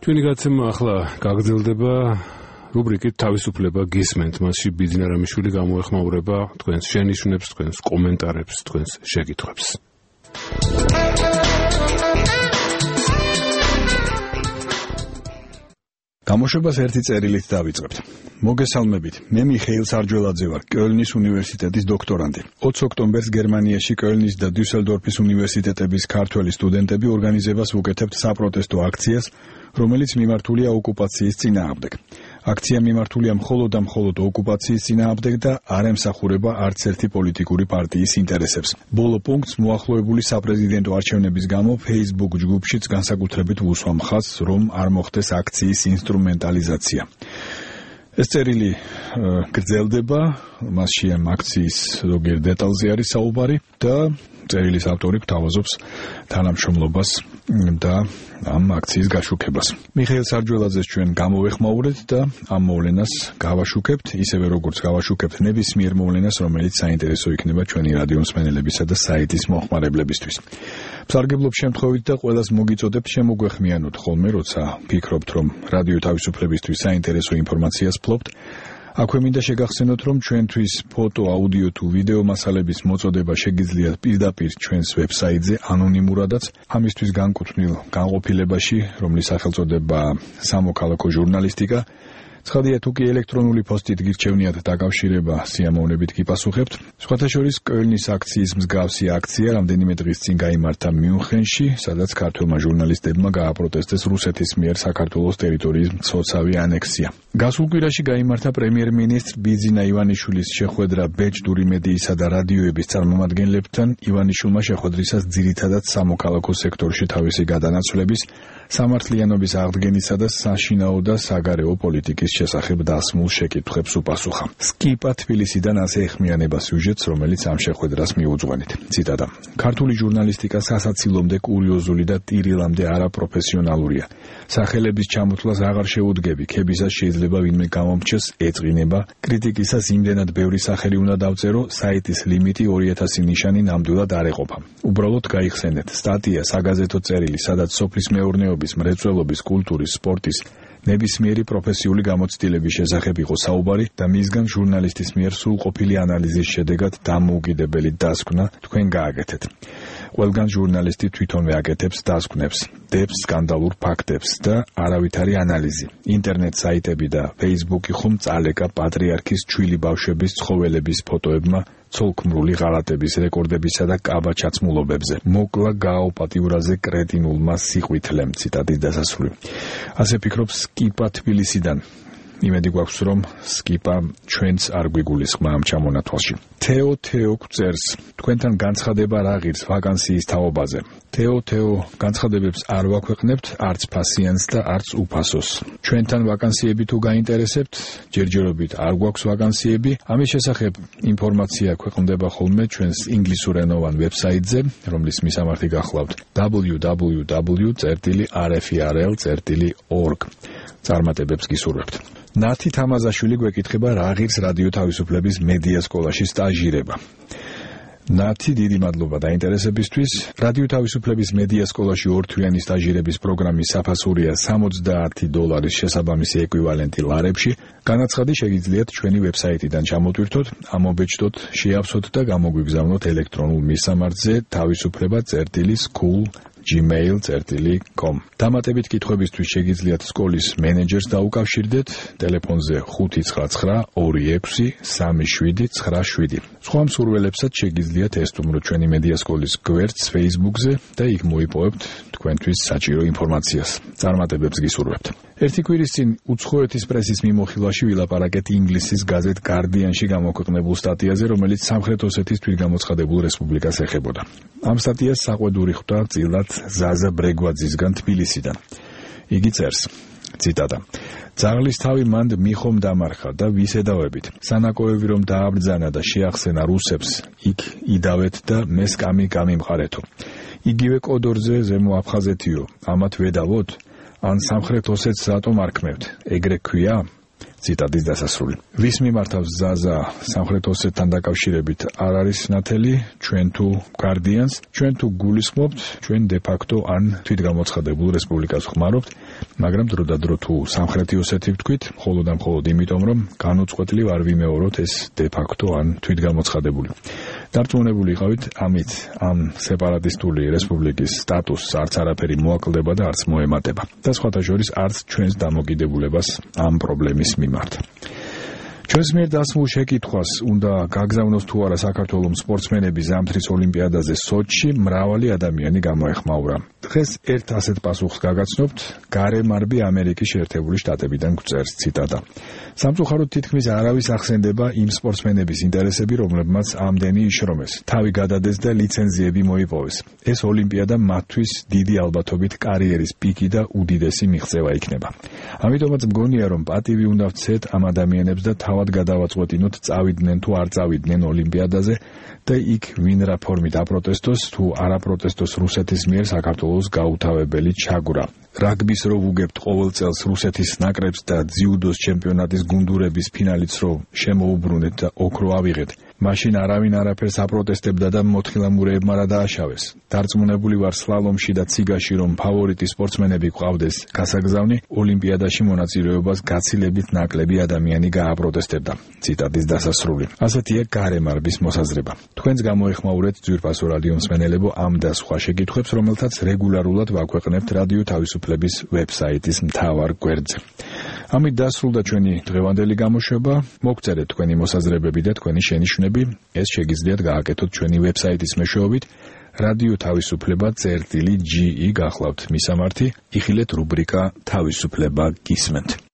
ჩვენი გაცემა ახლა გაგრძელდება რუბრიკით თავისუფლება გისმენთ, მასში ბიძინა რამიშვილი გამოეხმაურება თქვენს შენიშვნებს, თქვენს კომენტარებს, თქვენს შეკითხვებს. გამოშვებას ერთი წერილით დავიწყებთ. მოგესალმებით. მე მიხეილ სარჯველაძე ვარ, კölნის უნივერსიტეტის დოქტორანტი. 20 ოქტომბერს გერმანიაში კölნის და დიუსელდორფის უნივერსიტეტების ქართველი სტუდენტები ორგანიზებას უკეთებთ საპროტესტო აქციას, რომელიც მიმართულია ოკუპაციის წინააღმდეგ. აქცია მიმართულია მხოლოდ და მხოლოდ ოკუპაციის წინააღმდეგ და არ ემსახურება არც ერთი პოლიტიკური პარტიის ინტერესებს. ბოლო პუნქტს მოახლოებული საპრეზიდენტო არჩევნების გამო Facebook ჯგუფშიც განსაკუთრებით ვუსვამ ხაზს, რომ არ მოხდეს აქციის ინსტრუმენტალიზაცია. ეს წერილი გრძელდება, მასში ამ აქციის ზოგიერთ დეტალზე არის საუბარი და წერილის ავტორი გვთავაზობს თანამშრომლობას და ამ აქციის გაშუქებას. მიხეილ სარჯველაძეს ჩვენ გამოვეხმაურეთ და ამ მოვლენას გავაშუქებთ, ისევე როგორც გავაშუქებთ ნებისმიერ მოვლენას, რომელიც საინტერესო იქნება ჩვენი რადიო მსმენელებისა და საიტის მომხმარებლებისთვის. მსარგებლობ შემთხვევით და ყველას მოგიწოდებთ შემოგვეხმიანოთ ხოლმე, როცა ფიქრობთ, რომ რადიო თავისუფლებისთვის საინტერესო ინფორმაციას ფლობთ. აქვე მინდა შეგახსენოთ, რომ ჩვენთვის ფოტო, აუდიო თუ ვიდეო მასალების მოწოდება შეგიძლიათ პირდაპირ ჩვენს ვებსაიტზე ანონიმურადაც, ამისთვის განკუთვნილ განყოფილებაში, რომლის სახელწოდება სამოქალაქო ჟურნალისტიკა. ცხადია, თუ კი ელექტრონული პოსტით გირჩევნიათ დაკავშირება, სიამოვნებით გიპასუხებთ. სხვათა შორის კölნის აქციის მსგავსი აქცია რამდენიმე დღის წინ გაიმართა მიუნხენში, სადაც ქართველმა ჟურნალისტებმა გააპროტესტეს რუსეთის მიერ საქართველოს ტერიტორიის მცოცავი ანექსია. გასულ კვირაში გაიმართა პრემიერ-მინისტრ ბიძინა ივანიშვილის შეხვედრა ბეჭდური მედიისა და რადიოების წარმომადგენლებთან. ივანიშვილმა შეხვედრისას ძირითადად სამოქალაქო სექტორში თავისი გადანაცვლების, სამართლიანობის აღდგენისა და საშინაო და საგარეო პოლიტიკის შესახებ დასმულ შეკითხვებს უპასუხა. სკიპა თბილისიდან ასე ეხმიანება სიუჟეტს, რომელიც ამ შეხვედრას მიუძღვენით. ციტატა: ქართული ჟურნალისტიკა სასაცილომდე კურიოზული და ტირილამდე არაპროფესიონალურია. სახელების ჩამოთვლას აღარ შეუდგები, ქებისას შეიძლება ვინმე გამომრჩეს, ეწყინება, კრიტიკისას იმდენად ბევრი სახელი უნდა დავწერო, საიტის ლიმიტი 2000 ნიშანი ნამდვილად არ ეყოფა. უბრალოდ გაიხსენეთ სტატია, საგაზეთო წერილი, სადაც სოფლის მეურნეობის, მრეწველობის, კულტურის, სპორტის ნებისმიერი პროფესიული გამოცდილების შესახებ იყო საუბარი და მისგან ჟურნალისტის მიერ სრულყოფილი ანალიზის შედეგად დამოუკიდებელი დასკვნა თქვენ გააკეთეთ. ყველგან ჟურნალისტი თვითონვე აკეთებს დასკვნებს, დებს სკანდალურ ფაქტებს და არავითარი ანალიზი. ინტერნეტ საიტები და Facebook-ი ხომ წალეკა პატრიარქის ჩვილი ბავშვების ცხოველების ფოტოებმა, ცოლქმრული ღალატების რეკორდებისა და კაბაჩაცმულობებზე. მოკლა გააოპატიურაზე კრეტინულმა სიყვითლემ. ციტატის დასასრული. ასე ფიქრობს სკიპა თბილისიდან. იმედი გვაქვს, რომ სკიპა ჩვენც არ გვიგულისხმა ამ ჩამონათვალში. თეო გვწერს, თქვენთან განცხადება რა ღირს ვაკანსიის თაობაზე. თეო განცხადებებს არ ვაქვეყნებთ, არც ფასიანს და არც უფასოს. ჩვენთან ვაკანსიები თუ გაინტერესებთ, ჯერჯერობით არ გვაქვს ვაკანსიები. ამის შესახებ ინფორმაცია ქვეყნდება ხოლმე ჩვენს ინგლისურენოვან ვებსაიტზე, რომლის მისამართი გახლავთ www.rferl.org. წარმატებებს გისურვებთ. ნათი თამაზაშვილი გვეკითხება, რა ღირს რადიო თავისუფლების მედია სკოლაში სტაჟირება. ნათი, დიდი მადლობა დაინტერესებისთვის. რადიო თავისუფლების მედია სკოლაში ორთვიანი სტაჟირების პროგრამის საფასურია $70 შესაბამისი ეკვივალენტი ლარებში. განაცხადი შეგიძლიათ ჩვენი ვებსაიტიდან ჩამოტვირთოთ, ამობეჭდოთ, შეავსოთ და გამოგვიგზავნოთ ელექტრონულ მისამართზე tavisupleba@gmail.com. დამატებით კითხვებისთვის შეგიძლიათ სკოლის მენეჯერს დაუკავშირდეთ ტელეფონზე 596-26-3797. სხვა მსურველებსაც შეგიძლიათ ესტუმროთ ჩვენი მედია სკოლის გვერდს Facebook-ზე და იქ მოიპოვებთ თქვენთვის საჭირო ინფორმაციას. წარმატებებს გისურვებთ. ერთი კვირის წინ უცხოეთის პრესის მიმოხილვაში ვილაპარაკეთ ინგლისის გაზეთ Guardian-ში გამოქვეყნებულ სტატიაზე, რომელიც სამხრეთ ოსეთის თვითგამოცხადებულ რესპუბლიკას ეხებოდა. ამ სტატიას საყვედური ხვდა წილად ზაზა ბრეგვაძისგან თბილისიდან. იგი წერს, ციტატა: ძაღლის თავი მანდ მიხომ დამარხა და ვისედავებით. სანაკოები რომ დააბრძანა და შეახსენა რუსებს, იქ იდავეთ და მე სკამი გამიმყარეთო. იგივე კოდორზე ზემო აფხაზეთიო, ამათ ვედავოთ? ან სამხრეთ ოსეთს რატომ არქმევთ? ეგრე ქვია? ციტატის დასასრული. ვის მიმართავს ზაზა სამხრეთ ოსეთთან დაკავშირებით არ არის ნათელი, ჩვენ თუ Guardians, ჩვენ თუ გულისხმობთ, ჩვენ de facto ან თვითგამოცხადებულ რესპუბლიკას ხმარობთ, მაგრამ დროდადრო თუ სამხრეთი ოსეთი ვთქვით, მხოლოდ და მხოლოდ იმიტომ, რომ განუწყვეტლივ არ ვიმეოროთ ეს de facto ან თვითგამოცხადებული. დარწმუნებული იყავით, ამით ამ სეპარატისტული რესპუბლიკის სტატუსს არც არაფერი მოაკლდება და არც მოემატება. და სხვათა შორის არც ჩვენს დამოკიდებულებას ამ პრობლემის მიმართ. ჩვენს მიერ დასმულ შეკითხვას უნდა გაგზავნოს თუ არა საქართველოს სპორტსმენები ზამთრის ოლიმპიადაზე სოჩში, მრავალი ადამიანი გამოეხმაურა. დღეს ერთ ასეთ პასუხს გაგაცნობთ, გარემარბი ამერიკის შეერთებული შტატებიდან გვწერს ციტატა. სამწუხაროდ თითქმის არავის ახსენდება იმ სპორტსმენების ინტერესები, რომლებმაც ამდენი იშრომეს, თავი გადადეს და ლიცენზიები მოიპოვეს. ეს ოლიმპიადა მათთვის დიდი ალბათობით კარიერის პიკი და უდიდესი მიღწევა იქნება. ამიტომაც მგონია, რომ პატივი უნდა ვცეთ ამ ადამიანებს და თავად გადავაწყვეტინოთ, წავიდნენ თუ არ წავიდნენ ოლიმპიადაზე და იქ ვინ რა ფორმით აპროტესტოს თუ არ აპროტესტოს რუსეთის მიერ საქართველოს გაუთავებელი ჩაგვრა. რაგბის რო ვუგებთ ყოველ წელს რუსეთის ნაკრებს და ძიუდოს ჩემპიონატის გუნდურების ფინალიც რო შემოუბრუნეთ და ოქრო ავიღეთ, მაშინ არავინ არაფერს აპროტესტებდა და მოთხილამურეებმა რა დააშავეს. დარწმუნებული ვარ სლალომში და ციგაში, რომ ფავორიტი სპორტსმენები გვყავდეს გასაგზავნი, ოლიმპიადაში მონაწილეობას გაცილებით ნაკლები ადამიანი გააპროტესტებდა. ციტატის დასასრული. ასეთია გარემარბის მოსაზრება. თქვენს გამოეხმაურეთ ძვირფასო რადიო მსმენელებო ამ და სხვა შეკითხვებს, რომელთაც რეგულარულად ვაქვეყნებთ რადიო თავისუფლების ვებსაიტის მთავარ გვერდზე. ამით დასრულდა ჩვენი დღევანდელი გამოშვება. მოგწერეთ თქვენი მოსაზრებები და თქვენი შენიშვნები. ეს შეგიძლიათ გააკეთოთ ჩვენი ვებსაიტის მეშვეობით. რადიო თავისუფლება წერტილი GE გახლავთ მისამართი. იხილეთ რუბრიკა თავისუფლება გისმენთ.